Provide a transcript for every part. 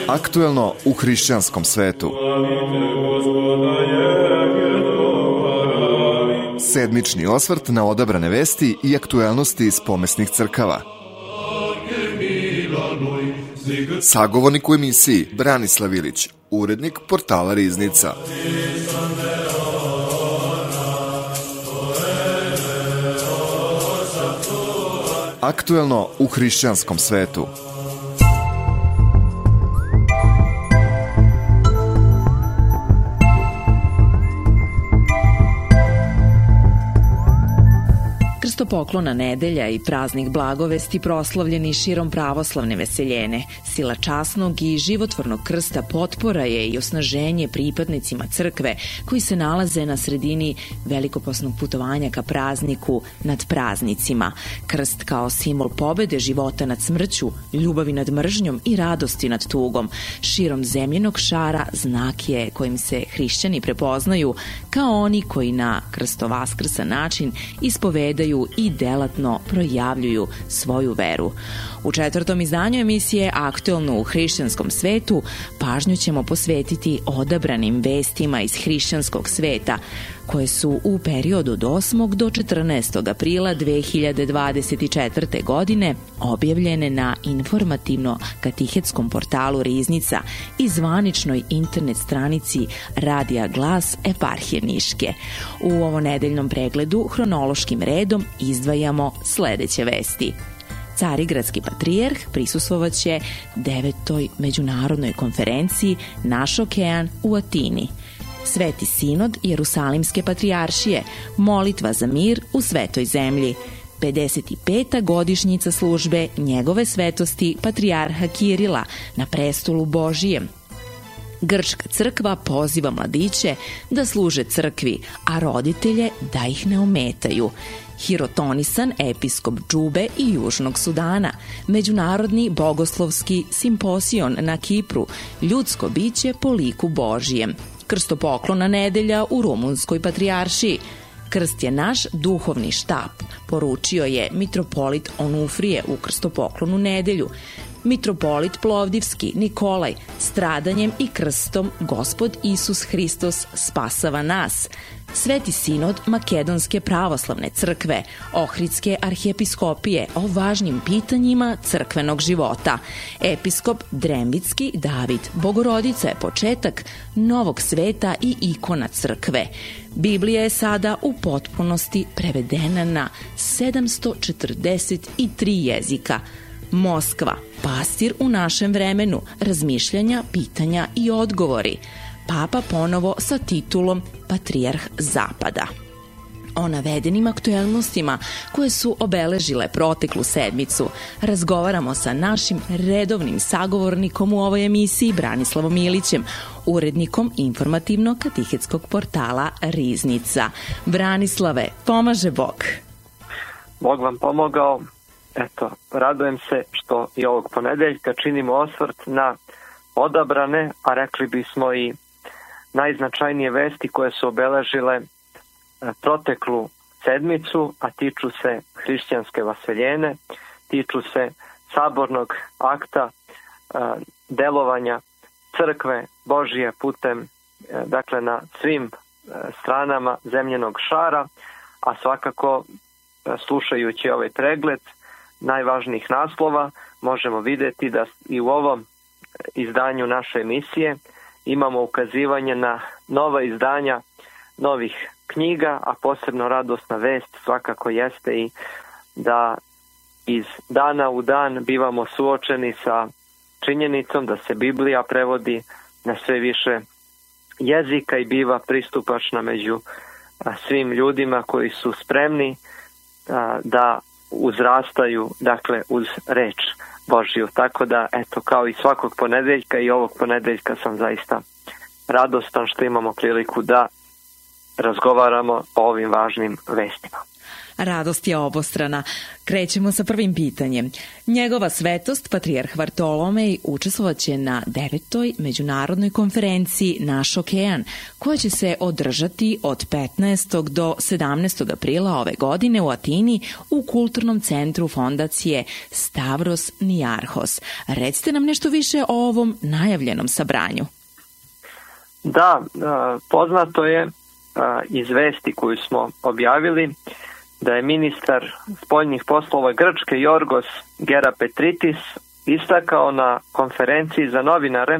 Aktuelno u hrišćanskom svetu. Sedmični osvrt na odabrane vesti i aktuelnosti iz pomesnih crkava. Sagovornik u emisiji Branislav Ilić, urednik portala Riznica. Aktuelno u hrišćanskom svetu. Krstopoklona nedelja i praznik Blagovesti proslavljeni širom pravoslavne veseljene. Sila časnog i životvornog krsta potpora je i osnaženje pripadnicima crkve koji se nalaze na sredini velikoposnog putovanja ka prazniku nad praznicima. Krst kao simbol pobede života nad smrću, ljubavi nad mržnjom i radosti nad tugom. Širom zemljenog šara znak je kojim se hrišćani prepoznaju kao oni koji na krstovaskrsan način ispovedaju i delatno projavljuju svoju veru. U 4. izdanju emisije Aktuelno u hrišćanskom svetu pažnju ćemo posvetiti odabranim vestima iz hrišćanskog sveta koje su u periodu od 8. do 14. aprila 2024. godine objavljene na informativno-katihetskom portalu Riznica i zvaničnoj internet stranici Radija Glas Eparhije Niške. U ovonedeljnom pregledu hronološkim redom izdvajamo sledeće vesti. Carigradski patrijarh prisustvovaće 9. međunarodnoj konferenciji Naš okean u Atini. Sveti sinod Jerusalimske patrijaršije, molitva za mir u svetoj zemlji. 55. godišnjica službe njegove svetosti patrijarha Kirila na prestolu Božijem. Grčka crkva poziva mladiće da služe crkvi, a roditelje da ih ne ometaju. Hirotonisan episkop Džube i Južnog Sudana, međunarodni bogoslovski simposion na Kipru, ljudsko biće po liku Božijem. Krstopoklona nedelja u Rumunskoj patrijaršiji. Krst je naš duhovni štap, poručio je mitropolit Onufrije u krstopoklonu nedelju. Mitropolit Plovdivski Nikolaj, stradanjem i krstom Gospod Isus Hristos spasava nas. Sveti sinod Makedonske pravoslavne crkve, Ohridske arhijepiskopije o važnim pitanjima crkvenog života. Episkop Drembitski David Bogorodica je početak novog sveta i ikona crkve. Biblija je sada u potpunosti prevedena na 743 jezika. Moskva, pastir u našem vremenu, razmišljanja, pitanja i odgovori. Papa ponovo sa titulom Patrijarh Zapada. O navedenim aktuelnostima koje su obeležile proteklu sedmicu razgovaramo sa našim redovnim sagovornikom u ovoj emisiji Branislavom Ilićem, urednikom informativno-katihetskog portala Riznica. Branislave, pomaže Bog. Bog vam pomogao. Eto, radujem se što i ovog ponedeljka činimo osvrt na odabrane, a rekli bismo i najznačajnije vesti koje su obeležile proteklu sedmicu, a tiču se hrišćanske vaseljene, tiču se sabornog akta delovanja crkve Božije putem, dakle na svim stranama zemljenog šara, a svakako slušajući ovaj pregled najvažnijih naslova možemo vidjeti da i u ovom izdanju naše emisije imamo ukazivanje na nova izdanja novih knjiga, a posebno radosna vest svakako jeste i da iz dana u dan bivamo suočeni sa činjenicom da se Biblija prevodi na sve više jezika i biva pristupačna među svim ljudima koji su spremni da uzrastaju, dakle, uz reč Božju. Tako da, eto, kao i svakog ponedeljka i ovog ponedeljka sam zaista radostan što imamo priliku da razgovaramo o ovim važnim vestima. Radost je obostrana. Krećemo sa prvim pitanjem. Njegova svetost, patrijarh Vartolomej, učestvovaće na 9. međunarodnoj konferenciji Naš okean, koja će se održati od 15. do 17. aprila ove godine u Atini u kulturnom centru fondacije Stavros Niarhos. Recite nam nešto više o ovom najavljenom sabranju. Da, poznato je iz vesti koju smo objavili da je ministar spoljnih poslova Grčke Jorgos Gerapetritis istakao na konferenciji za novinare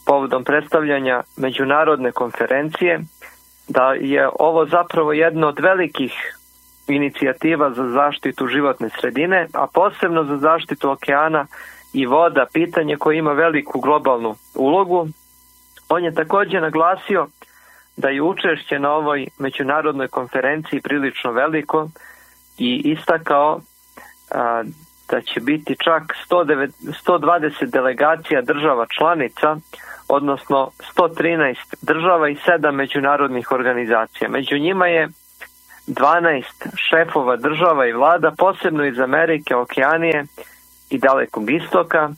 povodom predstavljanja međunarodne konferencije da je ovo zapravo jedna od velikih inicijativa za zaštitu životne sredine, a posebno za zaštitu okeana i voda, pitanje koje ima veliku globalnu ulogu. On je također naglasio da je učešće na ovoj međunarodnoj konferenciji prilično veliko i istakao da će biti čak 120 delegacija država članica, odnosno 113 država i 7 međunarodnih organizacija. Među njima je 12 šefova država i vlada, posebno iz Amerike, Okeanije i Dalekog istoka,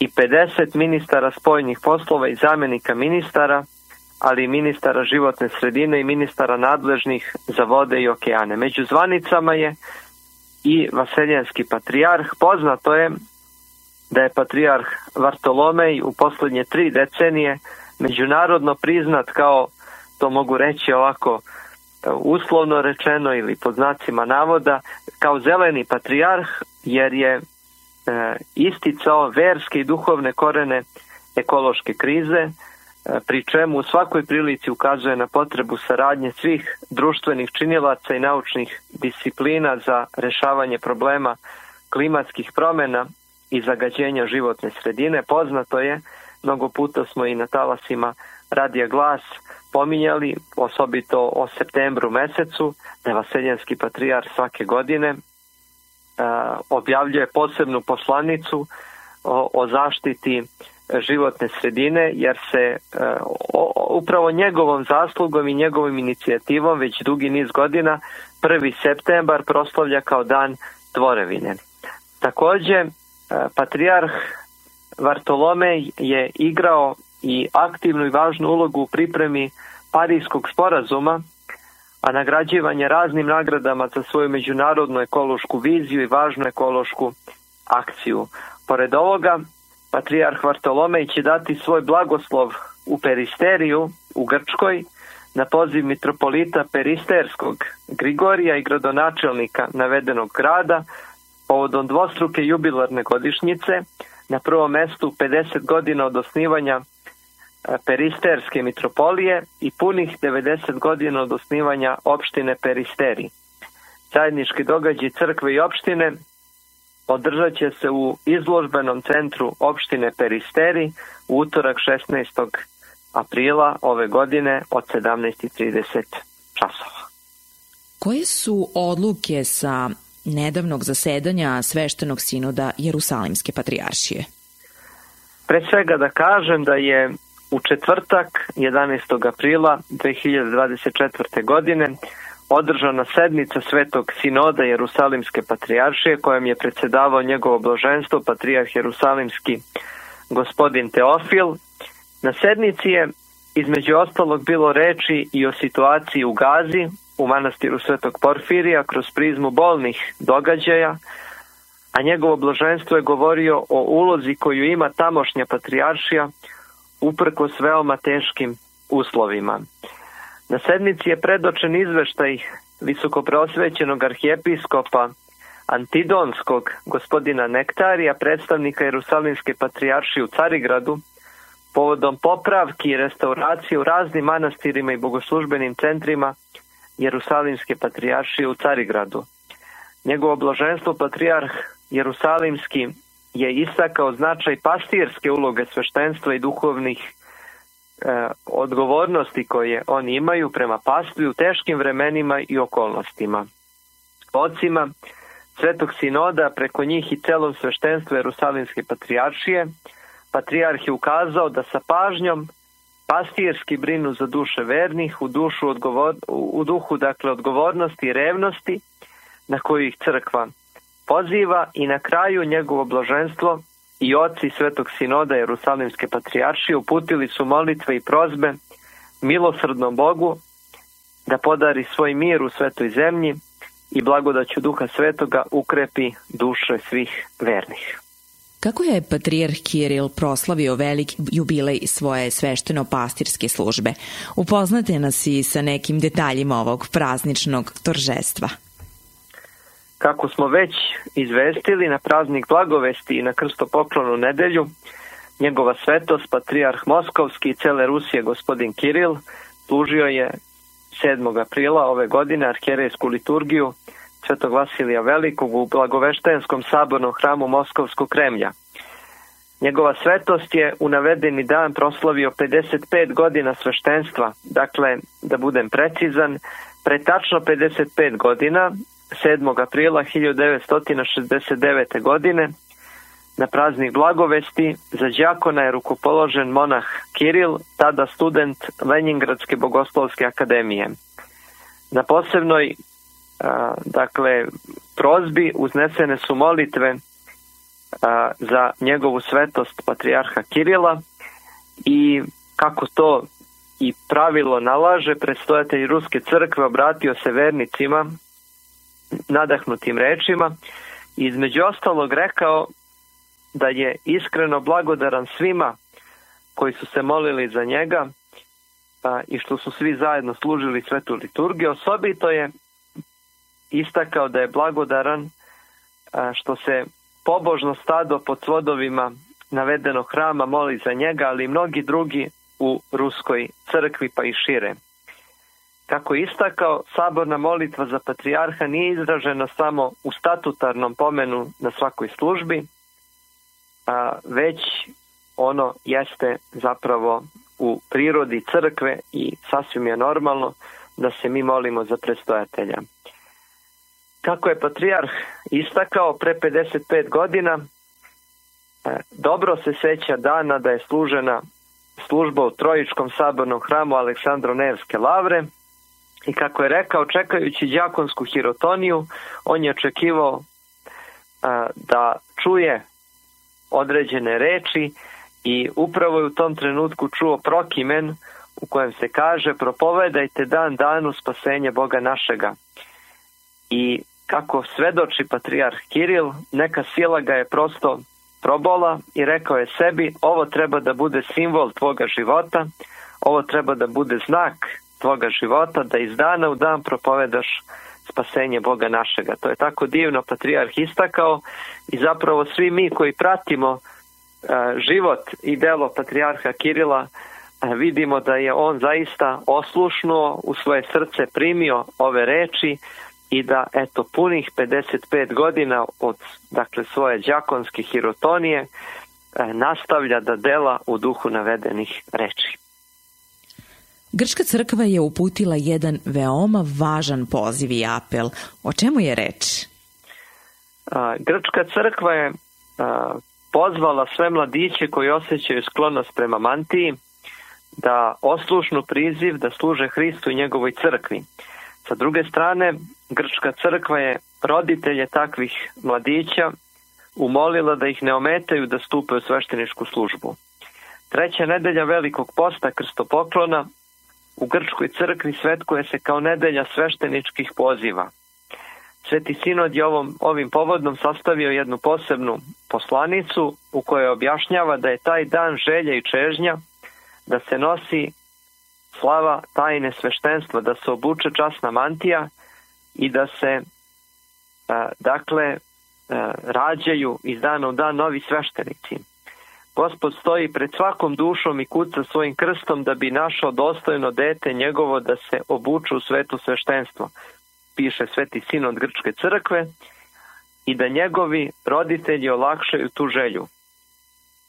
i 50 ministara spoljnih poslova i zamjenika ministara, ali i ministara životne sredine i ministara nadležnih za vode i okeane. Među zvanicama je i vaseljenski patrijarh. Poznato je da je patrijarh Vartolomej u posljednje 3 decenije međunarodno priznat kao, to mogu reći ovako uslovno rečeno ili pod znacima navoda, kao zeleni patrijarh, jer je isticao verske i duhovne korene ekološke krize, pri čemu u svakoj prilici ukazuje na potrebu saradnje svih društvenih činilaca i naučnih disciplina za rješavanje problema klimatskih promjena i zagađenja životne sredine. Poznato je, mnogo puta smo i na talasima Radija Glas pominjali, osobito o septembru mesecu, da je vaseljenski patrijarh svake godine objavljuje posebnu poslanicu o zaštiti životne sredine, jer se upravo njegovom zaslugom i njegovom inicijativom već dugi niz godina 1. septembar proslavlja kao dan tvorevine. Također, patrijarh Vartolomej je igrao i aktivnu i važnu ulogu u pripremi Parijskog sporazuma, a nagrađivan je raznim nagradama za svoju međunarodnu ekološku viziju i važnu ekološku akciju. Pored ovoga, patrijarh Vartolomej će dati svoj blagoslov u Peristeriju u Grčkoj na poziv mitropolita Peristerskog Grigorija i gradonačelnika navedenog grada povodom dvostruke jubilarne godišnjice, na prvom mjestu 50 godina od osnivanja Peristerske mitropolije i punih 90 godina od osnivanja opštine Peristeri. Zajednički događaj crkve i opštine održat će se u izložbenom centru opštine Peristeri u utorak 16. aprila ove godine od 17:30 časova. Koje su odluke sa nedavnog zasedanja sveštenog sinoda Jerusalimske patrijaršije? Pre svega da kažem da je u četvrtak 11. aprila 2024. godine održana sednica Svetog sinoda Jerusalimske patrijaršije kojom je predsjedavao njegovo blaženstvo patrijarh Jerusalimski gospodin Teofil. Na sednici je između ostalog bilo reči i o situaciji u Gazi, u manastiru Svetog Porfirija kroz prizmu bolnih događaja, a njegovo blaženstvo je govorio o ulozi koju ima tamošnja patrijaršija uprkos veoma teškim uslovima. Na sednici je predočen izveštaj visokopreosvećenog arhijepiskopa Antidonskog gospodina Nektarija, predstavnika Jerusalimske patrijaršije u Carigradu, povodom popravki i restauracije u raznim manastirima i bogoslužbenim centrima Jerusalimske patrijaršije u Carigradu. Njegovo blaženstvo patrijarh Jerusalimski je istakao značaj pastirske uloge sveštenstva i duhovnih odgovornosti koje oni imaju prema pastvi u teškim vremenima i okolnostima. Ocima Svetog sinoda, preko njih i celom sveštenstvu Jerusalimske patrijaršije, patrijarh je ukazao da sa pažnjom pastirski brinu za duše vernih u duhu odgovornosti i revnosti na koju ih crkva poziva i na kraju njegovo blaženstvo i oci Svetog sinoda Jerusalimske patrijaršije uputili su molitve i prozbe milosrdnom Bogu da podari svoj mir u svetoj zemlji i blagodaću Duha Svetoga ukrepi duše svih vernih. Kako je patrijarh Kiril proslavio velik jubilej svoje svešteno-pastirske službe? Upoznate nas i sa nekim detaljima ovog prazničnog торжества. Kako smo već izvestili, na praznik Blagovesti i na krstopoklonu nedelju, njegova svetost, patrijarh Moskovski i cele Rusije gospodin Kiril, služio je 7. aprila ove godine arhijerejsku liturgiju Svetog Vasilija Velikog u Blagoveštenskom sabornom hramu Moskovskog Kremlja. Njegova svetost je u navedeni dan proslavio 55 godina sveštenstva, dakle, da budem precizan, pre tačno 55 godina, 7. aprila 1969. godine, na praznik Blagovesti za đakona je rukopoložen monah Kiril, tada student Lenjingradske bogoslovske akademije. Na posebnoj prozbi uznesene su molitve za njegovu svetost patrijarha Kirila i kako to i pravilo nalaže, predstojatelj Ruske crkve obratio se vernicima nadahnutim rečima i između ostalog rekao da je iskreno blagodaran svima koji su se molili za njega i što su svi zajedno služili svetu liturgiju. Osobito je istakao da je blagodaran što se pobožno stado pod svodovima navedenog hrama moli za njega, ali i mnogi drugi u Ruskoj crkvi pa i šire. Kako je istakao, saborna molitva za patrijarha nije izražena samo u statutarnom pomenu na svakoj službi, već ono jeste zapravo u prirodi crkve i sasvim je normalno da se mi molimo za predstojatelja. Kako je patrijarh istakao pre 55 godina, dobro se seća dana da je služena služba u Trojičkom sabornom hramu Aleksandro-Nevske lavre i kako je rekao, čekajući đakonsku hirotoniju, on je očekivao da čuje određene reči i upravo je u tom trenutku čuo prokimen u kojem se kaže: propovedajte dan danu spasenje Boga našega. I kako svedoči patrijarh Kiril, neka sila ga je prosto probola i rekao je sebi: ovo treba da bude simbol tvoga života, ovo treba da bude znak tvoga života, da iz dana u dan propovedaš spasenje Boga našega. To je tako divno patrijarh istakao i zapravo svi mi koji pratimo život i delo patrijarha Kirila vidimo da je on zaista oslušnuo, u svoje srce primio ove reči i da punih 55 godina od svoje đakonske hirotonije nastavlja da dela u duhu navedenih reči. Grčka crkva je uputila jedan veoma važan poziv i apel. O čemu je reč? Grčka crkva je pozvala sve mladiće koji osjećaju sklonost prema mantiji da oslušnu priziv da služe Hristu i njegovoj crkvi. Sa druge strane, Grčka crkva je roditelje takvih mladića umolila da ih ne ometaju da stupe u svešteničku službu. 3. nedelja Velikog posta krstopoklona u Grčkoj crkvi svetkuje se kao nedelja svešteničkih poziva. Sveti sinod je ovim povodom sastavio jednu posebnu poslanicu u kojoj objašnjava da je taj dan želja i čežnja da se nosi slava tajne sveštenstva, da se obuče časna mantija i da se rađaju iz dana u dan novi sveštenici. Gospod stoji pred svakom dušom i kuca svojim krstom da bi našao dostojno dete njegovo da se obuče u sveto sveštenstvo, piše Sveti sinod Grčke crkve, i da njegovi roditelji olakšaju tu želju.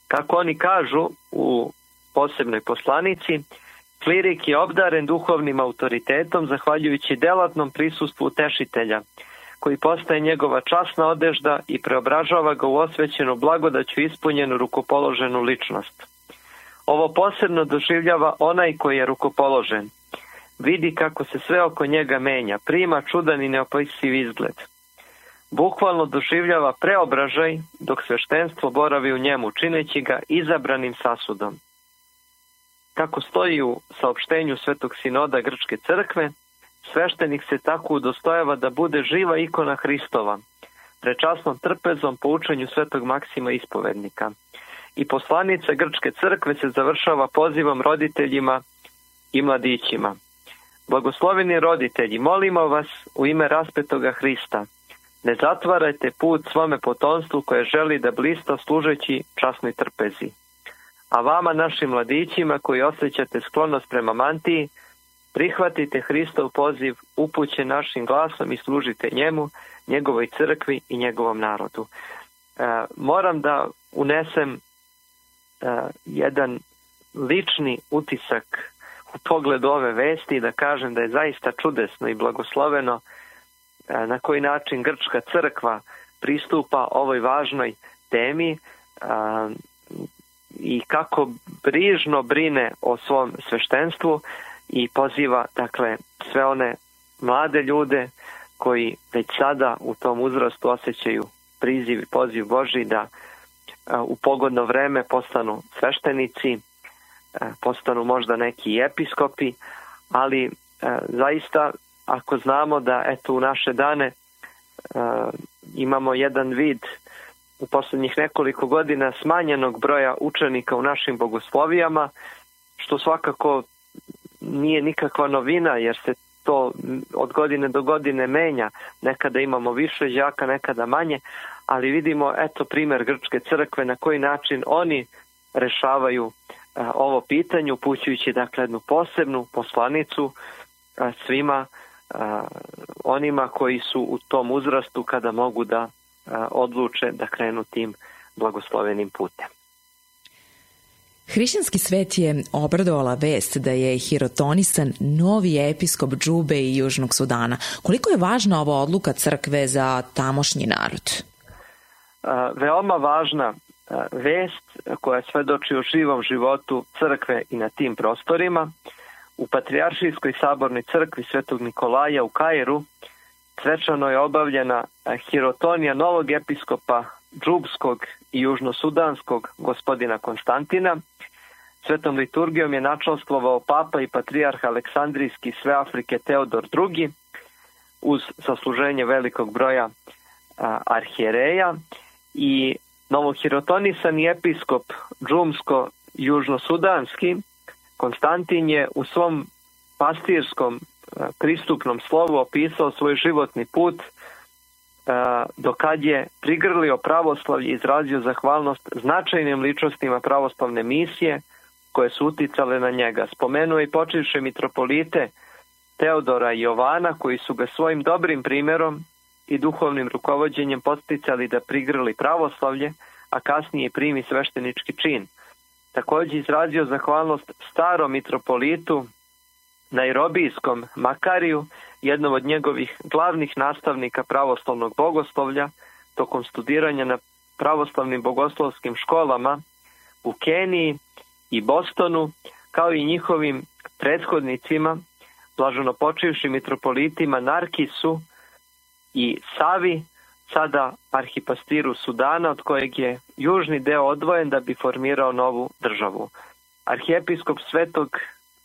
Kako oni kažu u posebnoj poslanici, klirik je obdaren duhovnim autoritetom zahvaljujući delatnom prisustvu utešitelja, koji postaje njegova časna odežda i preobražava ga u osvećenu blagodaću ispunjenu rukopoloženu ličnost. Ovo posebno doživljava onaj koji je rukopoložen. Vidi kako se sve oko njega menja, prima čudan i neopisiv izgled. bukvalno doživljava preobražaj dok sveštenstvo boravi u njemu, čineći ga izabranim sasudom. Kako stoji u saopštenju Svetog sinoda Grčke crkve, sveštenik se tako udostojava da bude živa ikona Hristova, prečasnom trpezom po učenju Svetog Maksima ispovednika. I poslanica Grčke crkve se završava pozivom roditeljima i mladićima. Blagosloveni roditelji, molimo vas u ime raspetoga Hrista, ne zatvarajte put svome potomstvu koje želi da blista služeći časnoj trpezi. A vama, našim mladićima koji osjećate sklonost prema mantiji, prihvatite Hristov poziv upućen našim glasom i služite njemu, njegovoj crkvi i njegovom narodu. Moram da unesem jedan lični utisak u pogledu ove vesti i da kažem da je zaista čudesno i blagosloveno na koji način Grčka crkva pristupa ovoj važnoj temi i kako brižno brine o svom sveštenstvu i poziva, dakle, sve one mlade ljude koji već sada u tom uzrastu osjećaju priziv i poziv Božji da u pogodno vreme postanu sveštenici, postanu možda neki episkopi, ali zaista ako znamo da eto u naše dane imamo jedan vid u posljednjih nekoliko godina smanjenog broja učenika u našim bogoslovijama, što svakako nije nikakva novina jer se to od godine do godine menja. Nekada imamo više đaka, nekada manje, ali vidimo eto primjer Grčke crkve na koji način oni rešavaju ovo pitanje, upućujući dakle jednu posebnu poslanicu svima onima koji su u tom uzrastu kada mogu da odluče da krenu tim blagoslovenim putem. Hrišćanski svet je obradovala vest da je hirotonisan novi episkop Džube i Južnog Sudana. Koliko je važna ova odluka crkve za tamošnji narod? Veoma važna vest koja svedoči o živom životu crkve i na tim prostorima. U Patrijaršijskoj sabornoj crkvi Svetog Nikolaja u Kairu svečano je obavljena hirotonija novog episkopa Džubskog i južnosudanskog gospodina Konstantina. Svetom liturgijom je načelstvovao papa i patrijarh Aleksandrijski sve Afrike Teodor II uz sasluženje velikog broja arhijereja i novohirotonisani episkop Džumsko-južnosudanski Konstantin je u svom pastirskom pristupnom slovu opisao svoj životni put dokad je prigrlio pravoslavlje i izrazio zahvalnost značajnim ličnostima pravoslavne misije koje su uticale na njega. Spomenuo i počivše mitropolite Teodora i Jovana koji su ga svojim dobrim primjerom i duhovnim rukovođenjem podsticali da prigrli pravoslavlje, a kasnije primi sveštenički čin. Također izrazio zahvalnost starom mitropolitu Nairobijskom Makariju, jednom od njegovih glavnih nastavnika pravoslavnog bogoslovlja, tokom studiranja na pravoslavnim bogoslovskim školama u Keniji i Bostonu, kao i njihovim prethodnicima, blaženopočivšim mitropolitima Narkisu i Savi, sada arhipastiru Sudana, od kojeg je južni deo odvojen da bi formirao novu državu. Arhijepiskop Svetog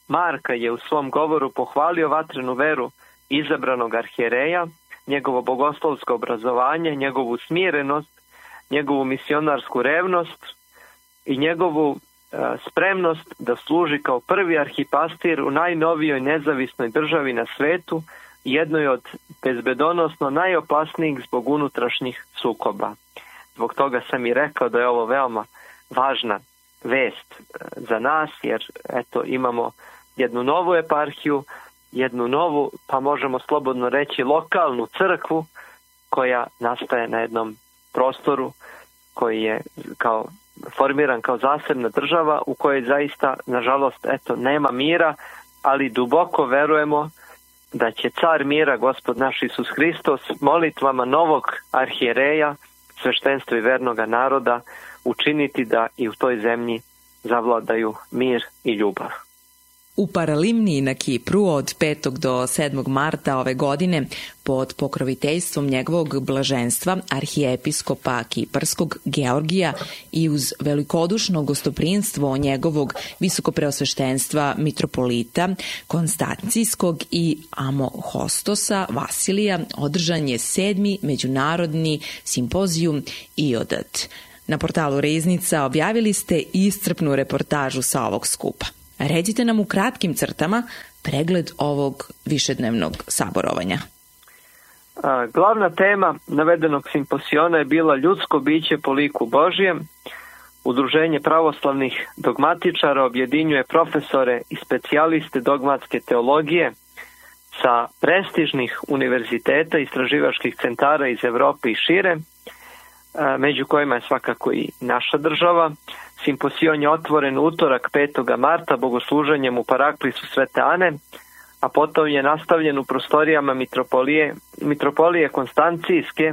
Marka je u svom govoru pohvalio vatrenu veru izabranog arhijereja, njegovo bogoslovsko obrazovanje, njegovu smirenost, njegovu misionarsku revnost i njegovu spremnost da služi kao prvi arhipastir u najnovijoj nezavisnoj državi na svetu, jednoj od bezbedonosno najopasnijih zbog unutrašnjih sukoba. Zbog toga sam i rekao da je ovo veoma važna vest za nas, jer eto imamo jednu novu eparhiju, jednu novu, pa možemo slobodno reći lokalnu crkvu koja nastaje na jednom prostoru koji je formiran kao zasebna država u kojoj zaista, nažalost, eto, nema mira, ali duboko verujemo da će car mira, Gospod naš Isus Hristos, molitvama novog arhijereja, sveštenstva i vernoga naroda, učiniti da i u toj zemlji zavladaju mir i ljubav. U Paralimniji na Kipru od 5. do 7. marta ove godine pod pokroviteljstvom njegovog blaženstva arhijepiskopa Kiparskog Georgija i uz velikodušno gostoprinstvo njegovog visokopreosveštenstva mitropolita Konstancijskog i Amohostosa Vasilija održan je 7. međunarodni simpozijum IODAT. Na portalu Riznica objavili ste iscrpnu reportažu sa ovog skupa. Recite nam u kratkim crtama pregled ovog višednevnog saborovanja. Glavna tema navedenog simposiona je bila ljudsko biće po liku Božijem. Udruženje pravoslavnih dogmatičara objedinjuje profesore i specijaliste dogmatske teologije sa prestižnih univerziteta i istraživačkih centara iz Evrope i šire, među kojima je svakako i naša država. Simposion je otvoren utorak 5. marta bogosluženjem u Paraklisu Svete Ane, a potom je nastavljen u prostorijama mitropolije Konstancijske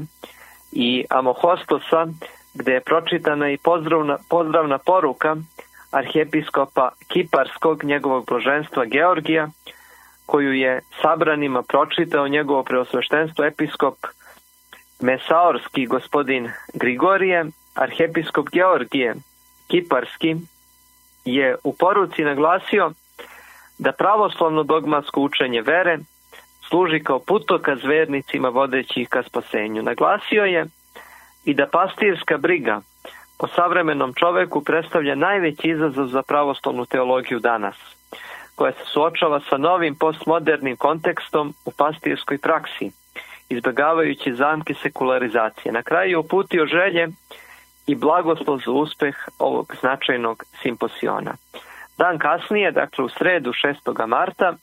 i Amohostosa, gde je pročitana i pozdravna poruka arhijepiskopa Kiparskog, njegovog blaženstva Georgija, koju je sabranima pročitao njegovo preosveštenstvo episkop Mesaorski gospodin Grigorije. Arhijepiskop Georgije Kiparski je u poruci naglasio da pravoslavno dogmatsko učenje vere služi kao putokaz vernicima vodeći ih ka spasenju. Naglasio je i da pastirska briga o savremenom čoveku predstavlja najveći izazov za pravoslavnu teologiju danas, koja se suočava sa novim postmodernim kontekstom u pastirskoj praksi, izbjegavajući zamke sekularizacije. Na kraju je uputio želje i blagoslov za uspeh ovog značajnog simposiona. Dan kasnije, dakle u sredu 6. marta,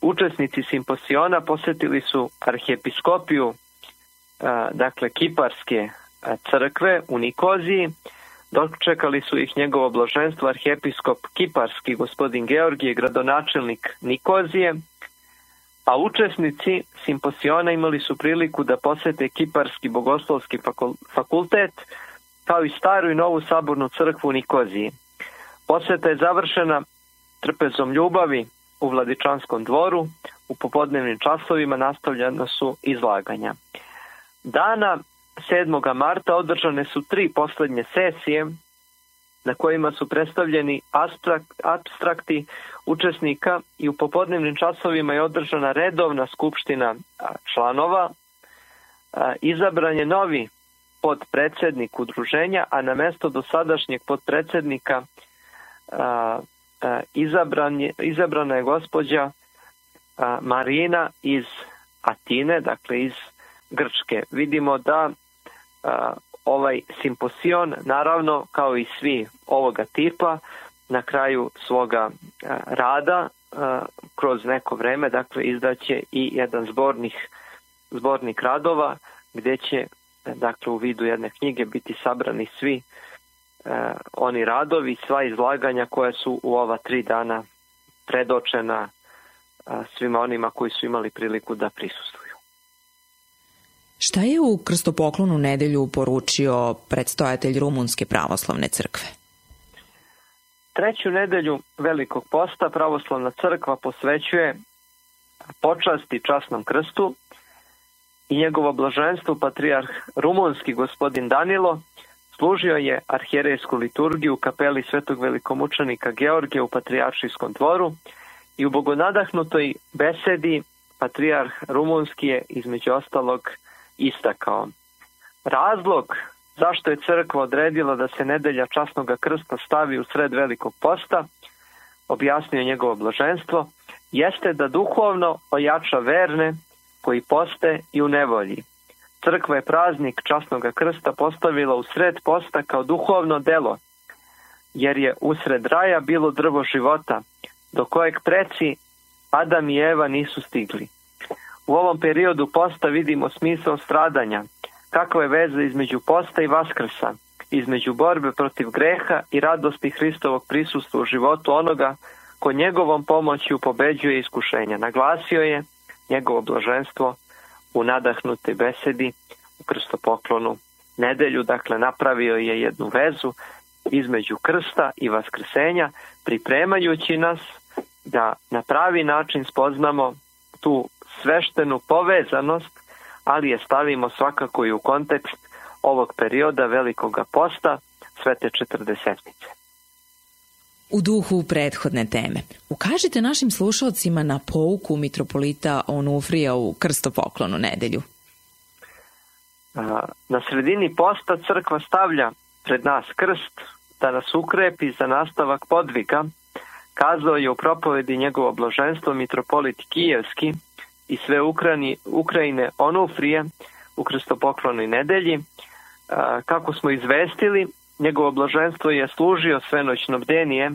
učesnici simposiona posjetili su arhijepiskopiju dakle Kiparske crkve u Nikoziji. Dočekali su ih njegovo blaženstvo arhijepiskop Kiparski gospodin Georgije, gradonačelnik Nikozije, a učesnici simposiona imali su priliku da posete Kiparski bogoslovski fakultet, kao i staru i novu sabornu crkvu u Nikoziji. Poseta je završena trpezom ljubavi u Vladičanskom dvoru. U popodnevnim časovima nastavljena su izlaganja. Dana 7. marta održane su 3 poslednje sesije na kojima su predstavljeni apstrakti učesnika i u popodnevnim časovima je održana redovna skupština članova. Izabran je novi podpredsednik udruženja, a na mesto dosadašnjeg podpredsednika izabrana je gospođa Marina iz Atine, dakle iz Grčke. Vidimo da ovaj simposion, naravno kao i svi ovoga tipa, na kraju svoga rada kroz neko vreme, dakle izdaće i jedan zbornik radova gdje će, dakle u vidu jedne knjige, biti sabrani svi oni radovi, sva izlaganja koja su u ova 3 dana predočena svima onima koji su imali priliku da prisustvuju. Šta je u krstopoklonu nedelju poručio predstojatelj Rumunske pravoslavne crkve? 3. nedelju Velikog posta pravoslavna crkva posvećuje počasti časnom krstu i njegovo blaženstvo patrijarh rumunski gospodin Danilo služio je arhijerejsku liturgiju u kapeli svetog velikomučenika Georgija u Patrijaršijskom dvoru i u bogonadahnutoj besedi patrijarh rumunski je između ostalog istakao: razlog zašto je crkva odredila da se nedelja časnog krsta stavi u sred Velikog posta, objasnio njegovo blaženstvo, jeste da duhovno ojača verne koji poste i u nevolji. Crkva je praznik časnog krsta postavila u sred posta kao duhovno delo, jer je usred raja bilo drvo života, do kojeg preci Adam i Eva nisu stigli. U ovom periodu posta vidimo smisao stradanja, kakva je veza između posta i vaskrsa, između borbe protiv greha i radosti Hristovog prisustva u životu onoga ko njegovom pomoću pobeđuje iskušenja. Naglasio je njegovo blaženstvo u nadahnutoj besedi u krstopoklonu nedelju, dakle napravio je jednu vezu između krsta i vaskrsenja, pripremajući nas da na pravi način spoznamo tu sveštenu povezanost, ali je stavimo svakako i u kontekst ovog perioda Velikoga posta, Svete Četrdesetnice. U duhu prethodne teme, ukažite našim slušalcima na pouku mitropolita Onufrija u krstopoklonu nedelju. Na sredini posta crkva stavlja pred nas krst da nas ukrepi za nastavak podviga, kazao je u propovedi njegovo blaženstvo mitropolit Kijevski i sve Ukrajine Onufrije u krstopoklonoj nedelji. Kako smo izvestili, njegovo blaženstvo je služio svenoćno bdenije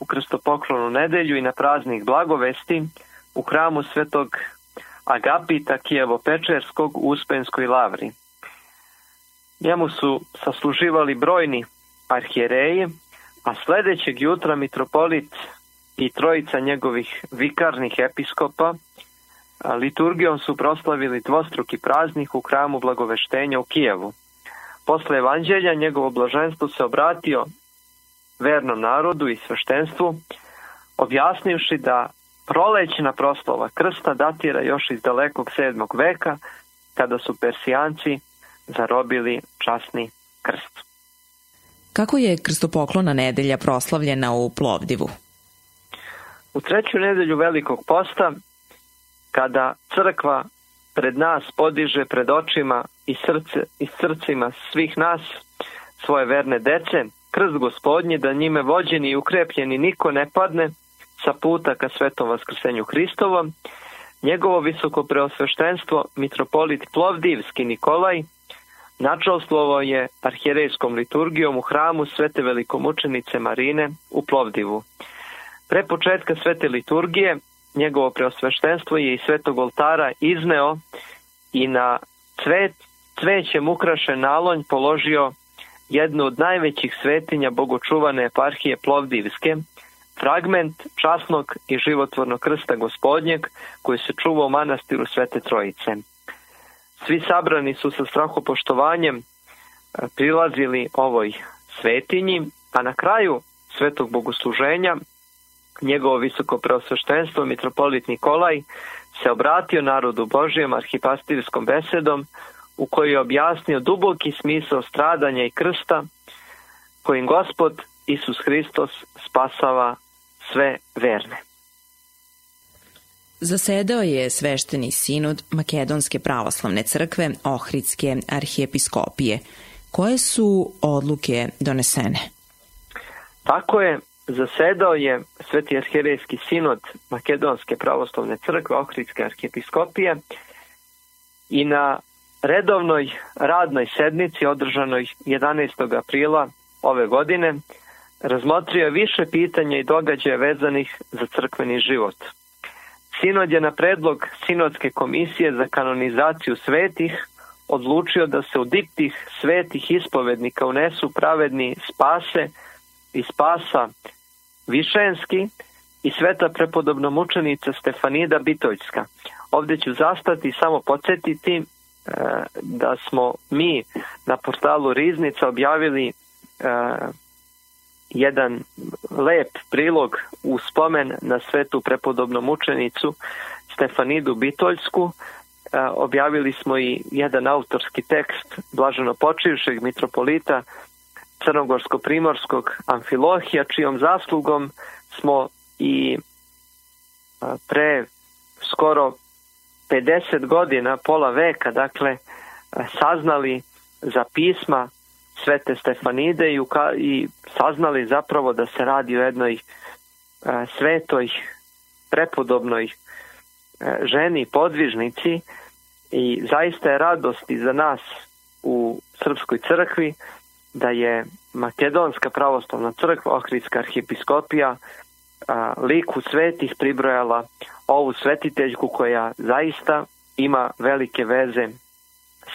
u krstopoklonu nedelju i na praznik blagovesti u hramu svetog Agapita Kijevo-Pečerskog u Uspenskoj lavri. Njemu su sasluživali brojni arhijereji, a sledećeg jutra mitropolit i trojica njegovih vikarnih episkopa liturgijom su proslavili dvostruki praznik u hramu Blagoveštenja u Kijevu. Posle evanđelja njegovo blaženstvo se obratio vernom narodu i sveštenstvu, objasnivši da prolećna proslava krsta datira još iz dalekog 7. veka, kada su Persijanci zarobili časni krst. Kako je krstopoklona nedelja proslavljena u Plovdivu? U treću nedelju Velikog posta, kada crkva pred nas podiže pred očima i srcima svih nas svoje verne dece, krst Gospodnji, da njime vođeni i ukrepljeni niko ne padne sa puta ka svetom vaskrsenju Hristovom, njegovo visoko preosveštenstvo mitropolit Plovdivski Nikolaj načalstvovao je arhijerejskom liturgijom u hramu Svete velikomučenice Marine u Plovdivu. Pre početka svete liturgije njegovo preosveštenstvo je iz svetog oltara izneo i na cvećem ukrašen nalonj položio jednu od najvećih svetinja bogočuvane eparhije Plovdivske, fragment časnog i životvornog krsta Gospodnjeg koji se čuva u manastiru Svete Trojice. Svi sabrani su sa strahopoštovanjem prilazili ovoj svetinji, a na kraju svetog bogosluženja njegovo visoko preosveštenstvo mitropolit Nikolaj se obratio narodu Božijem arhipastirskom besedom u kojoj je objasnio duboki smisao stradanja i krsta kojim Gospod Isus Hristos spasava sve verne. Zasedao je svešteni sinod Makedonske pravoslavne crkve Ohridske arhijepiskopije. Koje su odluke donesene? Tako je, zasedao je Sveti arhijerejski sinod Makedonske pravoslavne crkve Ohridske arhijepiskopije i na redovnoj radnoj sednici održanoj 11. aprila ove godine razmotrio više pitanja i događaja vezanih za crkveni život. Sinod je na predlog Sinodske komisije za kanonizaciju svetih odlučio da se u diptih svetih ispovednika unesu pravedni Spase i Spasa Višenski i sveta prepodobna mučenica Stefanida Bitoljska. Ovdje ću zastati i samo podsjetiti da smo mi na portalu Riznica objavili jedan lep prilog u spomen na svetu prepodobnu mučenicu Stefanidu Bitoljsku. Objavili smo i jedan autorski tekst blaženopočivšeg mitropolita Crnogorsko-primorskog Amfilohija, čijom zaslugom smo i pre skoro 50 godina, pola veka, dakle, saznali za pisma Svete Stefanide i saznali zapravo da se radi o jednoj svetoj, prepodobnoj ženi, podvižnici, i zaista je radost i za nas u Srpskoj crkvi da je Makedonska pravoslavna crkva, Ohridska arhijepiskopija, liku svetih pribrojala ovu svetiteljku koja zaista ima velike veze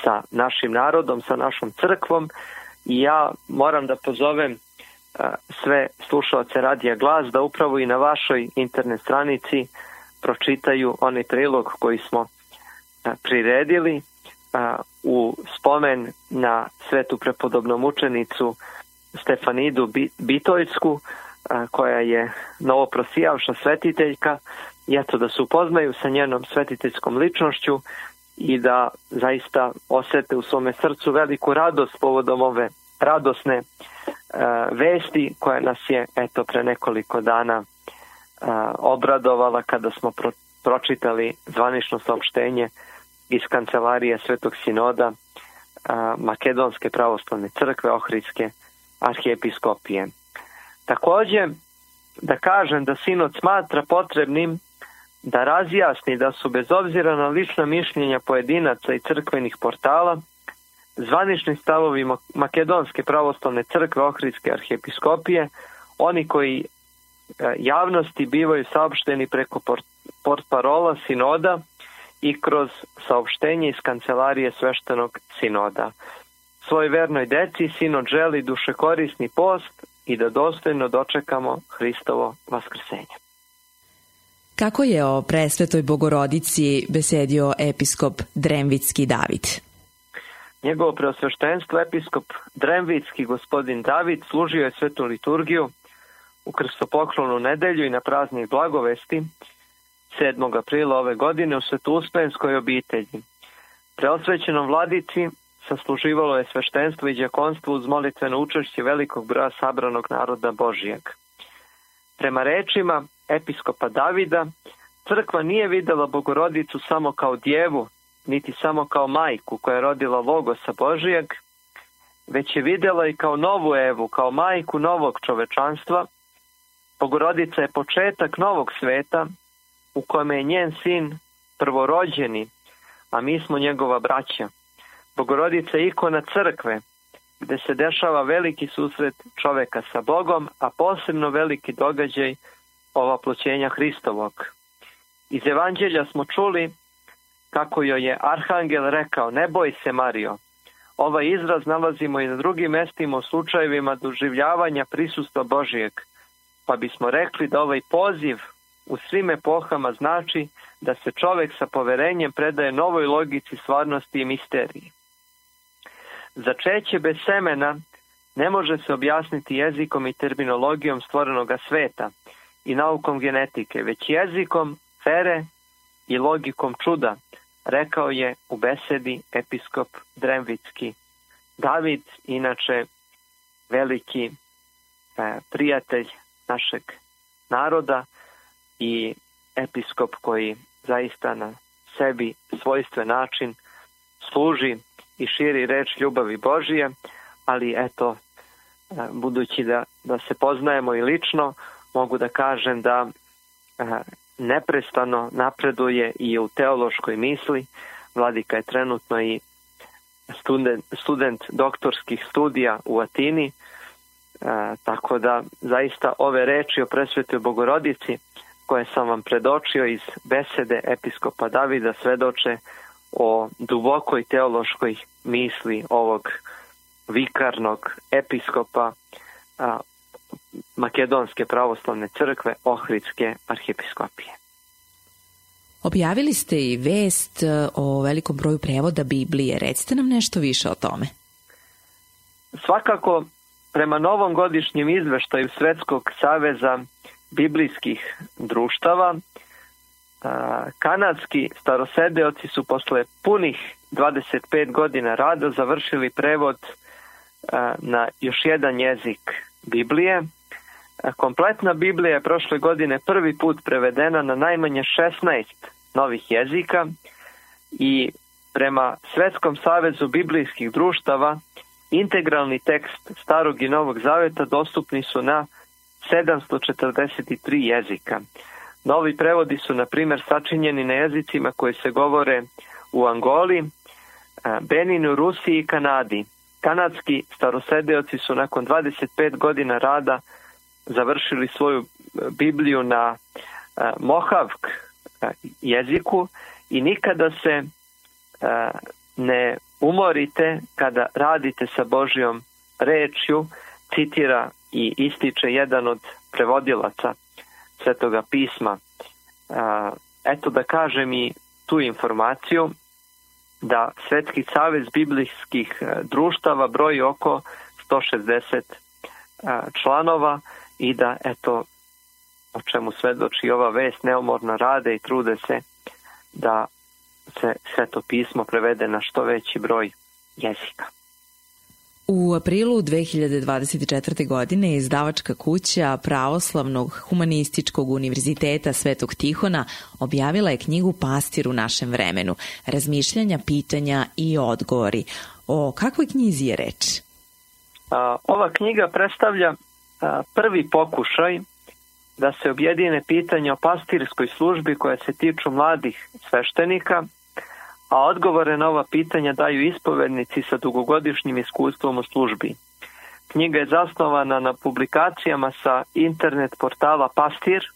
sa našim narodom, sa našom crkvom, i ja moram da pozovem sve slušalce Radija Glas da upravo i na vašoj internet stranici pročitaju onaj prilog koji smo priredili u spomen na svetu prepodobnu mučenicu Stefanidu Bitoljsku, koja je novoprosijavša svetiteljka, i eto da se upoznaju sa njenom svetiteljskom ličnošću i da zaista osete u svome srcu veliku radost povodom ove radosne vesti koja nas je eto pre nekoliko dana obradovala kada smo pročitali zvanično saopštenje iz kancelarije Svetog sinoda Makedonske pravoslavne crkve Ohridske arhijepiskopije. Također da kažem da sinod smatra potrebnim da razjasni da su bez obzira na lična mišljenja pojedinaca i crkvenih portala zvanični stavovi Makedonske pravoslavne crkve Ohridske arhijepiskopije oni koji javnosti bivaju saopšteni preko portparola sinoda i kroz saopštenje iz kancelarije sveštenog sinoda. Svoj vernoj deci sinod želi dušekorisni post i da dostojno dočekamo Hristovo vaskrsenje. Kako je o presvetoj Bogorodici besedio episkop Dremvitski David? Njegovo preosveštenstvo episkop Dremvitski gospodin David služio je svetu liturgiju u krstopoklonu nedelju i na praznik Blagovesti 7. aprila ove godine u Svetuspenskoj obitelji. Preosvećenom vladici sasluživalo je sveštenstvo i đakonstvo uz molitveno učešće velikog broja sabranog naroda Božijeg. Prema rečima episkopa Davida, crkva nije videla Bogorodicu samo kao djevu, niti samo kao majku koja je rodila Logosa Božijeg, već je vidjela i kao novu Evu, kao majku novog čovečanstva. Bogorodica je početak novog sveta u kojem je njen sin prvorođeni, a mi smo njegova braća. Bogorodica je ikona crkve, gdje se dešava veliki susret čoveka sa Bogom, a posebno veliki događaj ovaploćenja Hristovog. Iz Evanđelja smo čuli kako joj je arhangel rekao: ne boj se, Marijo. Ovaj izraz nalazimo i na drugim mestima u slučajevima doživljavanja prisustva Božijeg, pa bismo rekli da ovaj poziv u svim epohama znači da se čovek sa poverenjem predaje novoj logici stvarnosti i misteriji. Začeće bez semena ne može se objasniti jezikom i terminologijom stvorenoga sveta i naukom genetike, već jezikom vere i logikom čuda, rekao je u besedi episkop Dremvitski David, inače veliki prijatelj našeg naroda i episkop koji zaista na sebi svojstven način služi i širi reč ljubavi Božije, ali eto, budući da se poznajemo i lično, mogu da kažem da neprestano napreduje i u teološkoj misli. Vladika je trenutno i student doktorskih studija u Atini, tako da zaista ove reči o presvetoj Bogorodici koje sam vam predočio iz besede episkopa Davida svedoče o dubokoj teološkoj misli ovog vikarnog episkopa Makedonske pravoslavne crkve Ohridske arhijepiskopije. Objavili ste i vest o velikom broju prevoda Biblije. Recite nam nešto više o tome. Svakako, prema novom godišnjem izveštaju Svetskog saveza biblijskih društava, kanadski starosedeoci su posle punih 25 godina rada završili prevod na još jedan jezik Biblije. Kompletna Biblija je prošle godine prvi put prevedena na najmanje 16 novih jezika i prema Svetskom savezu biblijskih društava integralni tekst Starog i Novog Zaveta dostupni su na 743 jezika. Novi prevodi su, na primjer, sačinjeni na jezicima koji se govore u Angoli, Beninu, Rusiji i Kanadi. Kanadski starosedeoci su nakon 25 godina rada završili svoju Bibliju na Mohavk jeziku i nikada se ne umorite kada radite sa Božjom rečju, citira i ističe jedan od prevodilaca Svetoga pisma. Eto da kažem i tu informaciju da Svetski savez biblijskih društava broji oko 160 članova i da, eto, o čemu svedoči ova vest, neumorno rade i trude se da se Sveto pismo prevede na što veći broj jezika. U aprilu 2024. godine izdavačka kuća Pravoslavnog humanističkog univerziteta Svetog Tihona objavila je knjigu Pastir u našem vremenu, razmišljanja, pitanja i odgovori. O kakvoj knjizi je reč? Ova knjiga predstavlja prvi pokušaj da se objedine pitanja o pastirskoj službi koja se tiču mladih sveštenika, a odgovore na ova pitanja daju ispovednici sa dugogodišnjim iskustvom u službi. Knjiga je zasnovana na publikacijama sa internet portala Pastir.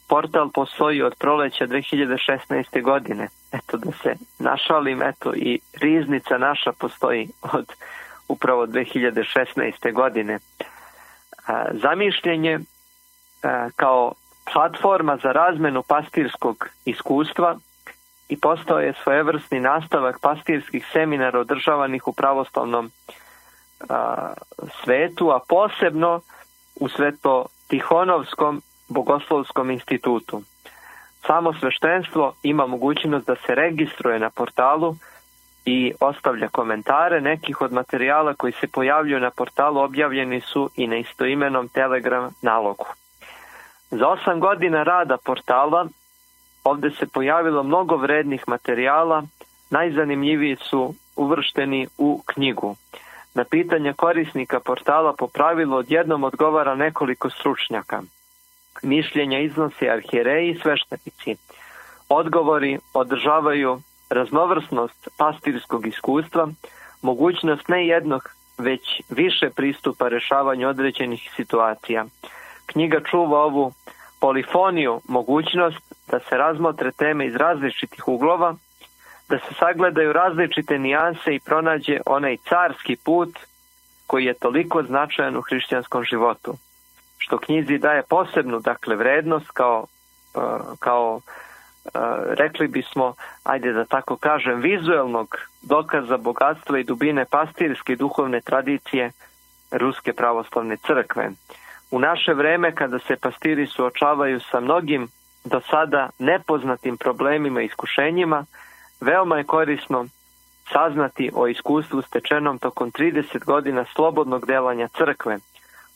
Portal postoji od proleća 2016. godine. Eto, da se našalim, eto, i riznica naša postoji od upravo 2016. godine. Zamišljen je kao platforma za razmenu pastirskog iskustva i postao je svojevrsni nastavak pastirskih seminara održavanih u pravoslavnom svetu, a posebno u Sveto-Tihonovskom bogoslovskom institutu. Samo sveštenstvo ima mogućnost da se registruje na portalu i ostavlja komentare. Nekih od materijala koji se pojavljuju na portalu objavljeni su i na istoimenom Telegram nalogu. Za 8 godina rada portala ovdje se pojavilo mnogo vrednih materijala, najzanimljiviji su uvršteni u knjigu. Na pitanja korisnika portala po pravilu odjednom odgovara nekoliko stručnjaka. Mišljenja iznose arhijereji i sveštenici. Odgovori održavaju raznovrsnost pastirskog iskustva, mogućnost ne jednog, već više pristupa rešavanju određenih situacija. Knjiga čuva ovu polifoniju, mogućnost da se razmotre teme iz različitih uglova, da se sagledaju različite nijanse i pronađe onaj carski put koji je toliko značajan u hrišćanskom životu. Što knjizi daje posebnu, dakle, vrednost kao rekli bismo, ajde da tako kažem, vizuelnog dokaza bogatstva i dubine pastirske i duhovne tradicije Ruske pravoslavne crkve. U naše vreme, kada se pastiri suočavaju sa mnogim do sada nepoznatim problemima i iskušenjima, veoma je korisno saznati o iskustvu stečenom tokom 30 godina slobodnog delanja crkve.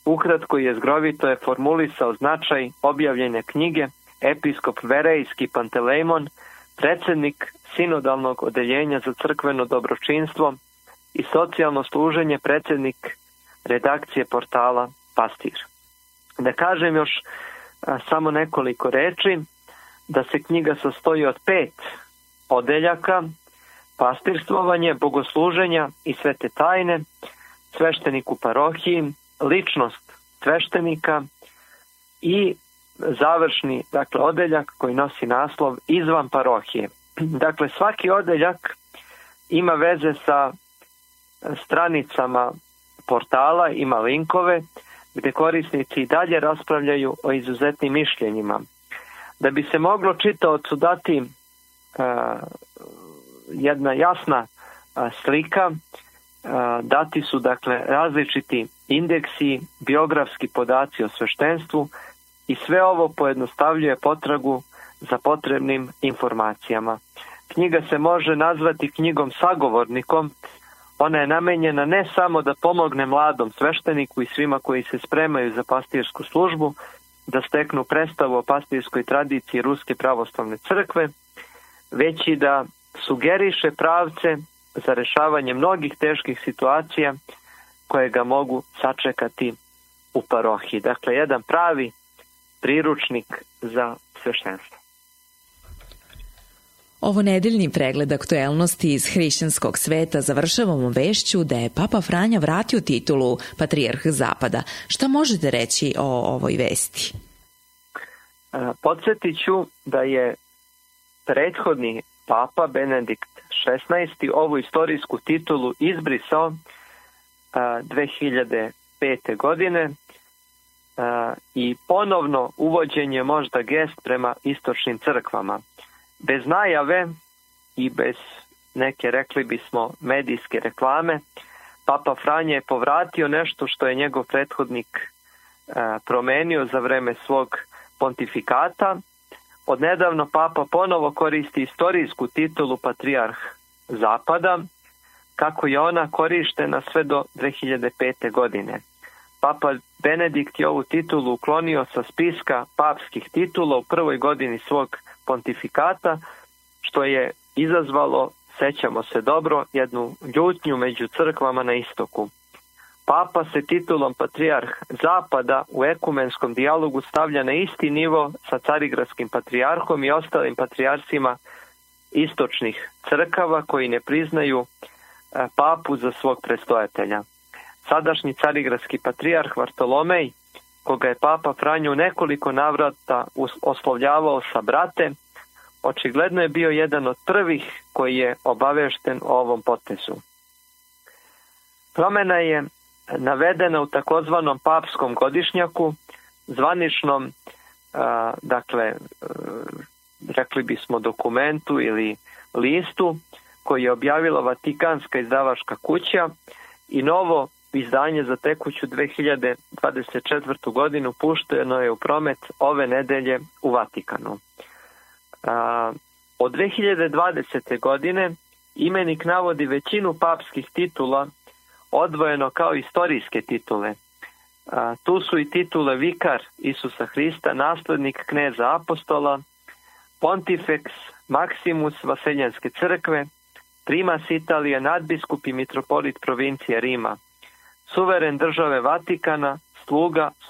Ukratko i jezgrovito je formulisao značaj objavljene knjige episkop Verejski Pantelejmon, predsjednik sinodalnog odeljenja za crkveno dobročinstvo i socijalno služenje, predsjednik redakcije portala Pastir. Da kažem još samo nekoliko reči, da se knjiga sastoji od 5 odeljaka: pastirstvovanje, bogosluženja i svete tajne, sveštenik u parohiji, ličnost sveštenika i završni, dakle, odeljak koji nosi naslov izvan parohije. Dakle, svaki odeljak ima veze sa stranicama portala, ima linkove gdje korisnici i dalje raspravljaju o izuzetnim mišljenjima. Da bi se moglo čitaocu dati jedna jasna slika, dati su, dakle, različiti indeksi, biografski podaci o sveštenstvu i sve ovo pojednostavljuje potragu za potrebnim informacijama. Knjiga se može nazvati knjigom sagovornikom. Ona je namenjena ne samo da pomogne mladom svešteniku i svima koji se spremaju za pastirsku službu, da steknu predstavu o pastirskoj tradiciji Ruske pravoslavne crkve, već i da sugeriše pravce za rešavanje mnogih teških situacija koje ga mogu sačekati u parohiji. Dakle, jedan pravi priručnik za sveštenstvo. Ovo nedeljni pregled aktuelnosti iz hrišćanskog sveta završavamo vešću da je Papa Franja vratio titulu Patrijarh Zapada. Šta možete reći o ovoj vesti? Podsjetit ću da je prethodni Papa Benedikt XVI ovu istorijsku titulu izbrisao 2005. godine i ponovno uvođenje možda gest prema istočnim crkvama. Bez najave i bez neke, rekli bismo, medijske reklame, Papa Franja je povratio nešto što je njegov prethodnik promenio za vreme svog pontifikata. Odnedavno papa ponovo koristi istorijsku titulu patrijarh Zapada, kako je ona korištena sve do 2005. godine. Papa Benedikt je ovu titulu uklonio sa spiska papskih titula u prvoj godini svog pontifikata, što je izazvalo, sećamo se dobro, jednu ljutnju među crkvama na istoku. Papa se titulom patrijarh Zapada u ekumenskom dijalogu stavlja na isti nivo sa carigradskim patrijarhom i ostalim patrijarhima istočnih crkava koji ne priznaju papu za svog prestojatelja. Sadašnji carigradski patrijarh Vartolomej, koga je papa Franjo u nekoliko navrata oslovljavao sa brate, očigledno je bio jedan od prvih koji je obavešten o ovom potezu. Promena je navedena u takozvanom papskom godišnjaku, zvaničnom, rekli bismo dokumentu ili listu koji je objavila Vatikanska izdavačka kuća i novo izdanje za tekuću 2024. godinu pušteno je u promet ove nedelje u Vatikanu. Od 2020. godine imenik navodi većinu papskih titula odvojeno kao istorijske titule. Tu su i titule vikar Isusa Hrista, naslednik kneza apostola, pontifex maximus Vaseljenske crkve, primas Italije, nadbiskup i mitropolit provincije Rima, suveren države Vatikana,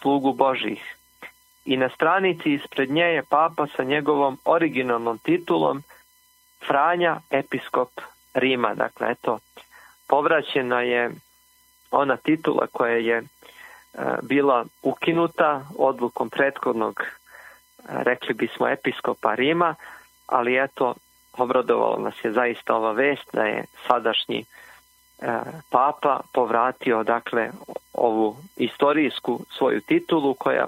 slugu Božih. I na stranici ispred nje je papa sa njegovom originalnom titulom Franja, episkop Rima. Dakle, eto, povraćena je ona titula koja je bila ukinuta odlukom prethodnog, rekli bismo, episkopa Rima, ali eto, obradovalo nas je zaista ova vest da je sadašnji papa povratio, dakle, ovu istorijsku svoju titulu koja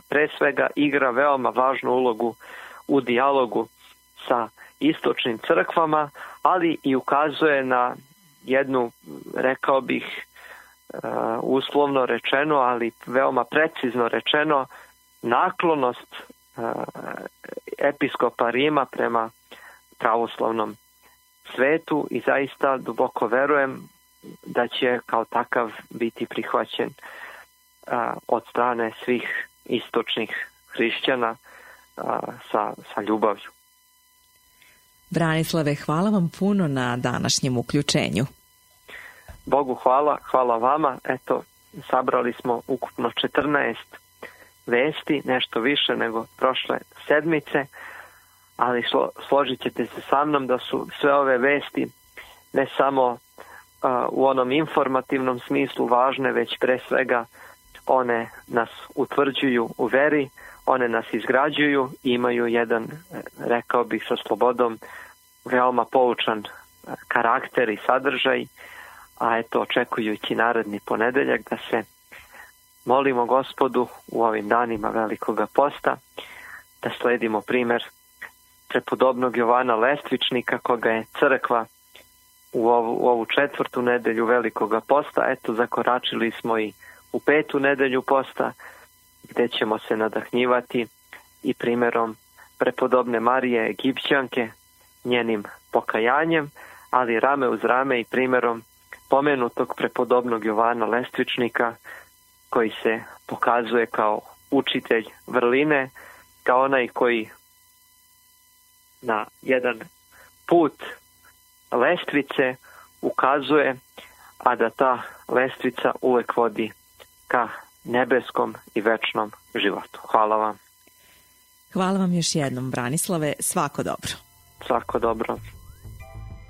pre svega igra veoma važnu ulogu u dijalogu sa istočnim crkvama, ali i ukazuje na jednu, rekao bih, uslovno rečeno, ali veoma precizno rečeno, naklonost episkopa Rima prema pravoslavnom svetu i zaista duboko verujem da će kao takav biti prihvaćen od strane svih istočnih hrišćana sa ljubavlju. Branislave, hvala vam puno na današnjem uključenju. Bogu hvala vama. Eto, sabrali smo ukupno 14 vesti, nešto više nego prošle sedmice, ali složit ćete se sa mnom da su sve ove vesti ne samo u onom informativnom smislu važne, već pre svega one nas utvrđuju u veri, one nas izgrađuju i imaju jedan, rekao bih sa slobodom, veoma poučan karakter i sadržaj, a eto, očekujući naredni ponedeljak da se molimo Gospodu u ovim danima Velikoga posta, da sledimo primer prepodobnog Jovana Lestvičnika, koga je crkva u ovu 4. nedelju Velikoga posta. Eto, zakoračili smo i u 5. nedelju posta, gde ćemo se nadahnjivati i primerom prepodobne Marije Egipćanke, njenim pokajanjem, ali rame uz rame i primerom pomenutog prepodobnog Jovana Lestvičnika, koji se pokazuje kao učitelj vrline, kao onaj koji na jedan put lestvice ukazuje, a da ta lestvica uvek vodi ka nebeskom i večnom životu. Hvala vam. Hvala vam još jednom, Branislave. Svako dobro. Svako dobro.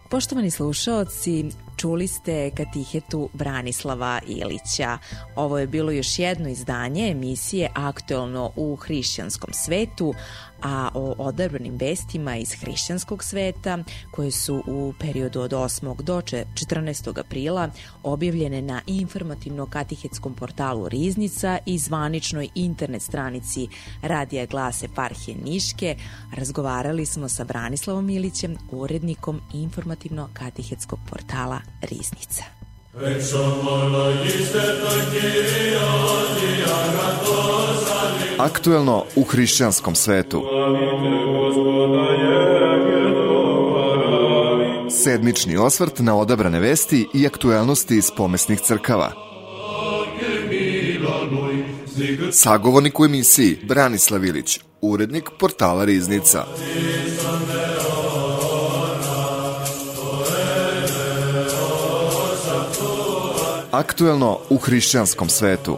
Poštovani slušaoci, čuli ste katehetu Branislava Ilića. Ovo je bilo još jedno izdanje emisije Aktuelno u hrišćanskom svetu, a o odabranim vestima iz hrišćanskog sveta koje su u periodu od 8. do 14. aprila objavljene na informativno-katehetskom portalu Riznica i zvaničnoj internet stranici Radija Glas Eparhije Niške, razgovarali smo sa Branislavom Ilićem, urednikom informativno-katehetskog portala Riznica. Aktuelno u hrišćanskom svetu. Sedmični osvrt na odabrane vesti i aktuelnosti iz pomesnih crkava. Sagovornik u emisiji Branislav Ilić, urednik portala Riznica. Aktuelno u hrišćanskom svetu.